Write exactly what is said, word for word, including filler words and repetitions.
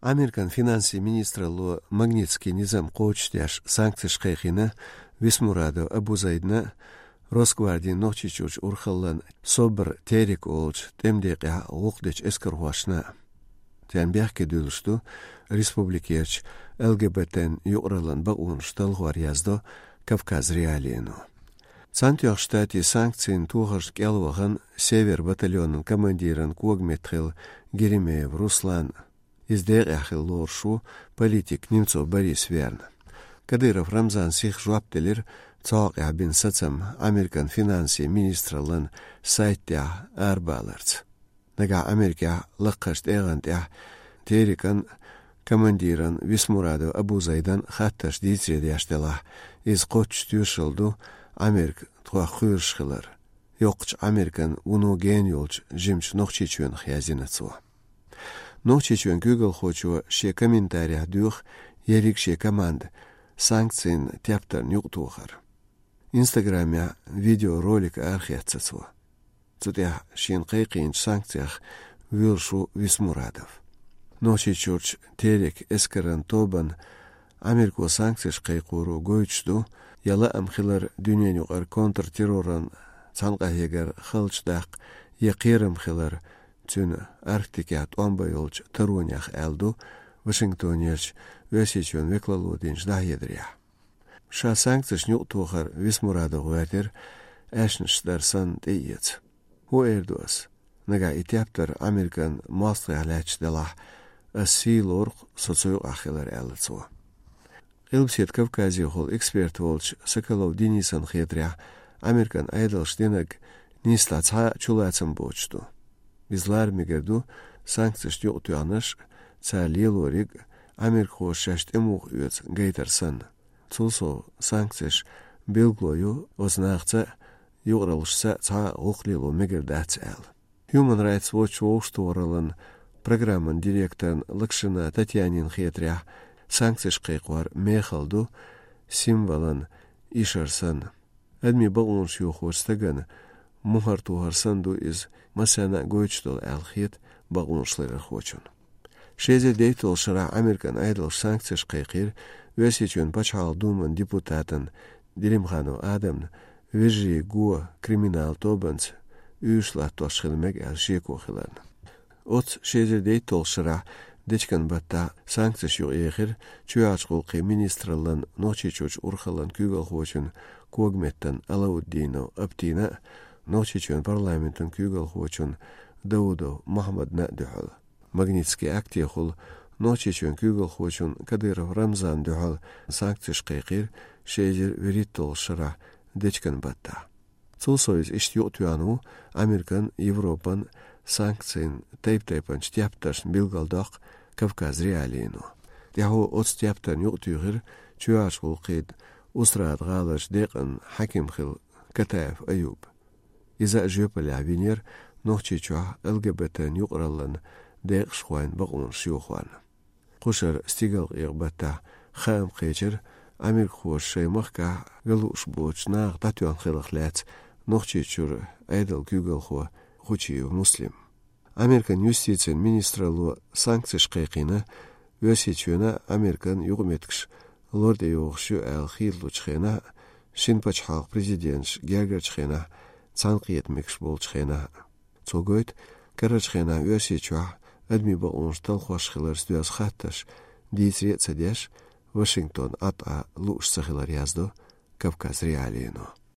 Американ финансийн министралло Магнитский низам кхочушдеш санкцеш кхайкхийна Висмурадов Абузайдна, Росгвардин Нохчийчуьрчу урхаллан СОБР Терек олучу тӀеман декъехь гӀуллакх дечу эскархошна. Царна бехке дуьллуш ду республикерчу ЛГБТ-н юкъараллан бакъонаш талхор, яздо Кавказ.Реалиино. Цхьаьнатоьхначу Штатийн санкцийн тохаршна кӀел вахана Север батальонан командиран когаметта хилла Геремеев Руслан. Иза декъехь хилла лоруш ву политик Немцов Борис верна. Кадыров Рамзана сиха жоп делира цу хьокъехь бина сацам Американ финансийн министраллан сайта тӀехь арабаларца. Нагахь Америкехь лакхарчу тӀегӀан тӀехь Терекан командиран Висмурадов Абузайдан хаттарш дийцаре деш делахь, иза кхоччуш тоьшалла ду Америка тхох кхоьруш хилар, йоккхачу Американ вуно гена йолчу жимачу Нохчийчоьнах, яздина цо. Нохчийчоьнан куьйгалхочо шен комментарехь доьху ерриг шен команда санкцийн тептарна юкъатохар. Инстаграмехь видеоролик арахецна цо. Цу тӀехь шена кхайкхийначу санкцех воьлуш ву Висмурадов. Нохчийчуьрчу Терек эскаран тобанна Америко санкцеш кхайкхоро гойтуш ду, я лаам хилар дуьненаюкъара контртерроран цхьаьнакъахьегар халчу даккха, я кхерам хилар цуьнан Арктикехь тӀом бан йолчу таронех, аьлла ду Вашингтонерчу Оьрсийчоьнан векалло динчу дӀахьедарехь. Ша санкцешна юкъатохар Висмурадов гӀоьртира аьшнаш дар санна тӀеэца. ХӀун эр ду ас? Нагахь и тептар Американ мостагӀех лаьтташ делахь, ас сий лору-кх со цу юкъахь хилар, аьлла цо. Къилбаседа Кавказехула эксперт волчу Соколов Денисан хетарехь, Американ Ӏедалша динарг нийсса цхьа а чулацам боцуш ду. Иза лара мегар ду санкцешна юкъатоьхнарш, цара лелориг, америкахоша шаьш тӀемуха оьцу гайтар санна. Цул сов, санкцеш билгало ю оцу нахаца а, юкъараллашца а цхьа а гӀуллакх лело мегар дац, аьлла. Human Rights Watch вовшахтохараллан программан директорна Локшина Татьянина хетарехь, санкцеш кхайкхор мехала ду символан ишар санна. Адамийн бакъонаш йохочу стагана мухӀар тохар санна ду иза, массарна а гойтуш долу, аьлла хета бакъонаш ларъярхочунна. Ши эзар дейтталгӀачу шарахь Американ Ӏедалша санкцеш кхайкхийра Оьрсийчоьнан Пачхьалкхан Думан депутатана Делимханов Адамна, вежарий го криминалан тобанца уьйш латтош хила мега аьлла шеко хиларна. Оццу ши эзар дейтталгӀачу шарахь дечкен баттахь санкцеш юкъаехира чоьхьарчу гӀуллакхийн министраллан Нохчийчуьрчу урхаллан куьйгалхочун когаметтан Алауддинов Аптина а, Нохчийчоьнан парламентан куьйгалхочун Даудов Мохьмадна а дуьхьал. Магнитский актехула Нохчийчоьнан куьйгалхочун Кадыров Рамзана дуьхьал санкцеш кхайкхийра ши эзар вуьрхӀитталгӀачу шарахь дечкен баттахь. Цул сов, иза иштта юкъатоьхна ву Американ, Европан санкцийн тайп-тайпанчу тептаршна, билгалдоккху Кавказ.Реалиино. ТӀаьхьо оцу тептарна юкъатуьйхира чоьхьарчу гӀуллакхийн Устрада-гӀаларчу декъан хьаькам хилла Катаев Аюб. Иза а жоьпаллехь винера Нохчийчохь ЛГБТ-н юкъараллан декъашхойн бакъонаш йохорна. Кхушара стигалкъекъа баттахь хаам кхечира америкахоша шайн махкахь ган лууш боцучу наха дӀатоьхна хиларх лаьцна Нохчийчуьра Ӏедалан куьйгалхо Хучиев Муслим. Американ юстицин министралло санкцеш кхайкхийна Оьрсийчоьнан а, Американ а юкъаметтигаш лор тӀейогӀуш ю аьлла хийталучу хенахь а, шина пачхьалкхан президенташ гергарчу хенахь а, цхьаьнакхета мегаш болчу хенахь а. Цо гойту, карарчу хенахь Оьрсийчохь адамийн бакъонаш талхош хиларца доьзна хаттарш дийцаре а ца деш, Вашингтон Ӏад Ӏа лууш ца хилар, яздо Кавказ.Реалиино.